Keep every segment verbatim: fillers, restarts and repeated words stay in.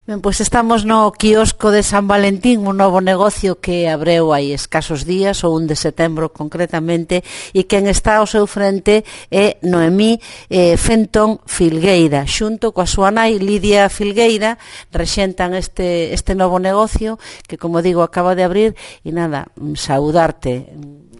Ben, pois estamos no quiosco de San Valentín, un novo negocio que abreu hai escasos días, o un de setembro concretamente, e quen está ao seu frente é Noemí eh, Fentón Filgueira, xunto coa súa nai Lidia Filgueira, rexentan este, este novo negocio que, como digo, acaba de abrir, e nada, saudarte.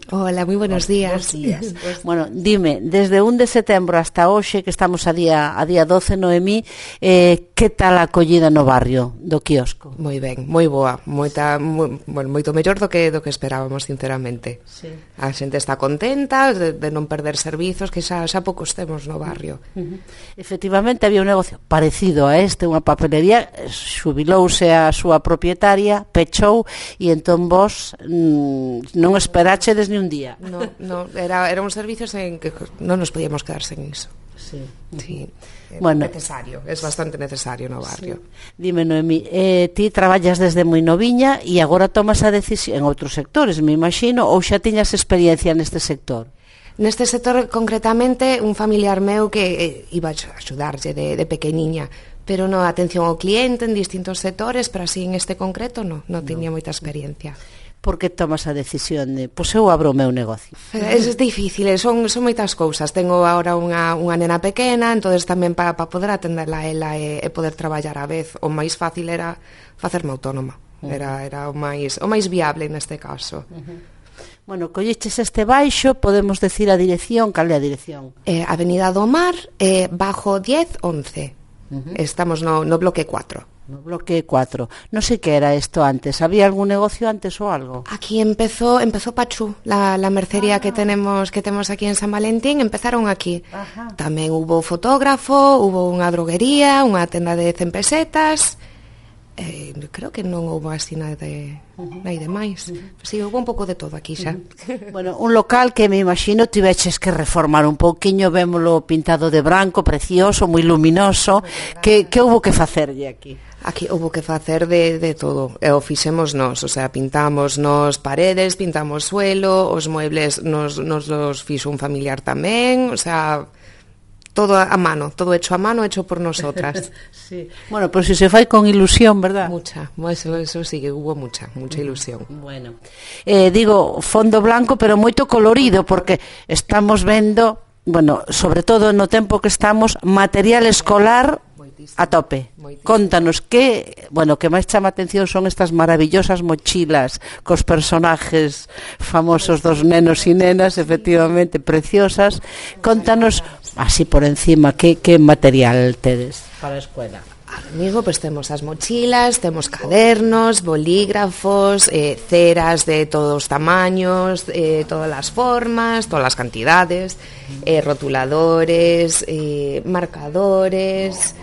Hola, moi buenos días. Buenos días. Bueno, dime, desde un de setembro hasta hoxe, que estamos a día a día doce, Noemí, eh, que tal a acollida no barrio do quiosco? Moi ben, moi boa, moita, moi, bueno, moito mellor do que do que esperábamos, sinceramente. Sí. A xente está contenta de, de non perder servizos, que xa, xa poucos temos no barrio. Uh-huh. Efectivamente, había un negocio parecido a este, unha papelería, xubilouse a súa propietaria, pechou, e entón vos mm, non esperachedes ni un día. No, no, era, era un servicio en que non nos podíamos quedar sen iso. Sí. Sí. É bueno, necesario, é bastante necesario no barrio. Sí. Dime, Noemí, eh, ti traballas desde moi noviña e agora tomas a decisión en outros sectores, me imagino, ou xa tiñas experiencia neste sector? Neste sector, concretamente, un familiar meu que eh, iba a axudarlle de, de pequeniña, pero no, atención ao cliente en distintos sectores, pero así en este concreto no, non tiña moita experiencia. Por que tomas a decisión de, pois eu abro o meu negocio? É difícil, son, son moitas cousas. Tengo agora unha, unha nena pequena, entonces tamén para pa poder atenderla a ela e, e poder traballar á vez, o máis fácil era facerme autónoma. Era, era o máis o máis viable neste caso. Uh-huh. Bueno, colleches este baixo, podemos decir a dirección, cal é a dirección? Eh, Avenida do Mar, eh, bajo diez once. Uh-huh. Estamos no, no bloque cuatro. No bloque cuatro. Non sei que era isto antes. Había algún negocio antes ou algo? Aquí empezó empezó Pachú, la, la mercería ah. que tenemos que temos aquí en San Valentín, empezaron aquí. Ajá. Tamén hubo fotógrafo, hubo unha droguería, unha tenda de cen pesetas. Eh, creo que non houve así nada de uh-huh. nada de máis. Uh-huh. Si, sí, houve un pouco de todo aquí xa. Uh-huh. Bueno, un local que me imagino tiveches que reformar un pouquiño, vémolo pintado de branco, precioso, moi luminoso. Que que houve que facerlle aquí? Aquí houve que facer de, de todo, e o fixemos nós, o sea, pintamos nos paredes, pintamos suelo, os muebles nos, nos los fixo un familiar tamén, o sea, todo a mano, todo hecho a mano, hecho por nosotras. Sí. Bueno, pero si se fai con ilusión, verdad? Mucha, eso, eso sí que hubo mucha, mucha ilusión. Bueno, eh, digo, fondo blanco, pero moito colorido, porque estamos vendo, bueno, sobre todo no tempo que estamos, material escolar a tope. Contanos que, bueno, que máis chama atención son estas maravillosas mochilas cos personajes famosos dos nenos e nenas, efectivamente preciosas. Contanos así por encima que que material tedes para a escuela. Amigo, pues temos as mochilas, temos cadernos, bolígrafos, eh, ceras de todos os tamaños, eh, todas as formas, todas as cantidades, eh, rotuladores, eh, marcadores,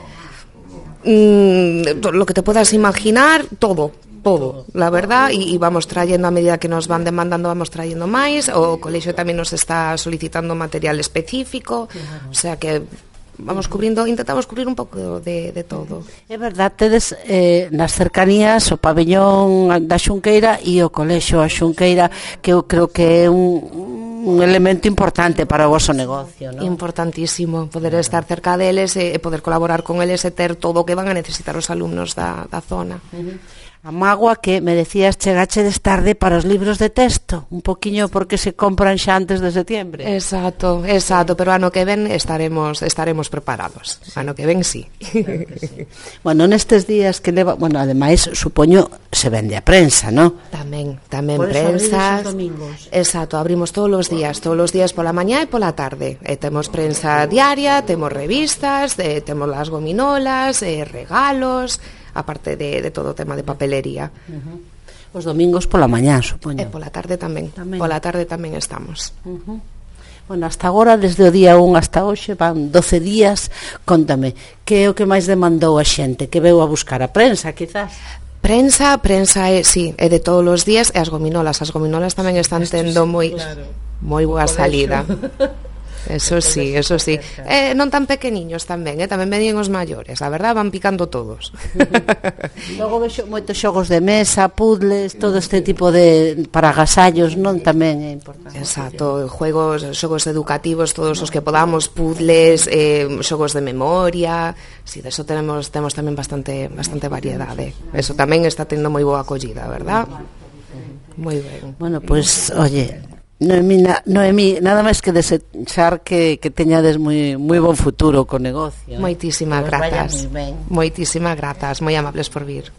mm, todo lo que te puedas imaginar, todo, todo, la verdad, y, y vamos trayendo a medida que nos van demandando, vamos trayendo máis. O colexio tamén nos está solicitando material específico, o sea que vamos cubrindo, intentamos cubrir un pouco de, de todo. É verdad, tedes eh, nas cercanías o pabellón da Xunqueira e o colexio a Xunqueira, que eu creo que é un, un elemento importante para o vosso negocio, ¿no? Importantísimo, poder estar cerca deles e, e poder colaborar con eles e ter todo o que van a necesitar os alumnos da, da zona. Uh-huh. A mágoa que me decías chegachedes tarde para os libros de texto, un poquiño porque se compran xa antes de setembro. Exacto, exacto, pero ano que ven estaremos estaremos preparados. Sí. Ano que ven sí. Claro que sí. Bueno, nestes días que leva, bueno, ademais supoño se vende a prensa, ¿no? Tamén, tamén por prensas. Por domingos. Exacto, abrimos todos os días, todos os días pola mañá e pola tarde. E temos prensa diaria, temos revistas, e temos las gominolas, e regalos, aparte de, de todo o tema de papelería. Uh-huh. Os domingos pola mañá, supoño. E pola tarde tamén, tamén. Pola tarde tamén estamos. Uh-huh. Bueno, hasta agora, desde o día un hasta hoxe, van doce días. Contame, que é o que máis demandou a xente? Que veu a buscar a prensa, quizás? Prensa, prensa é, sí, é de todos os días, e as gominolas. As gominolas tamén están tendo moi, claro, moi boa salida. Eso sí, eso sí. Eh, non tan pequeniños tamén, eh? Tamén venían os maiores, a verdad, van picando todos. Logo vexo moitos xogos de mesa, puzzles, todo este tipo de para agasallos, non, tamén é importante. Exacto, juegos, xogos educativos, todos os que podamos, puzzles, eh, xogos de memoria, si, de eso tenemos temos tamén bastante bastante variedade. Eso tamén está tendo moi boa acollida, verdad? Moi ben. Bueno, pois, pues, oye, Noemí, na, Noemí, nada máis que desechar que, que teñades moi moi bon futuro co negocio. Moitísimas eh? grazas. Moitísimas grazas, moi amables por vir.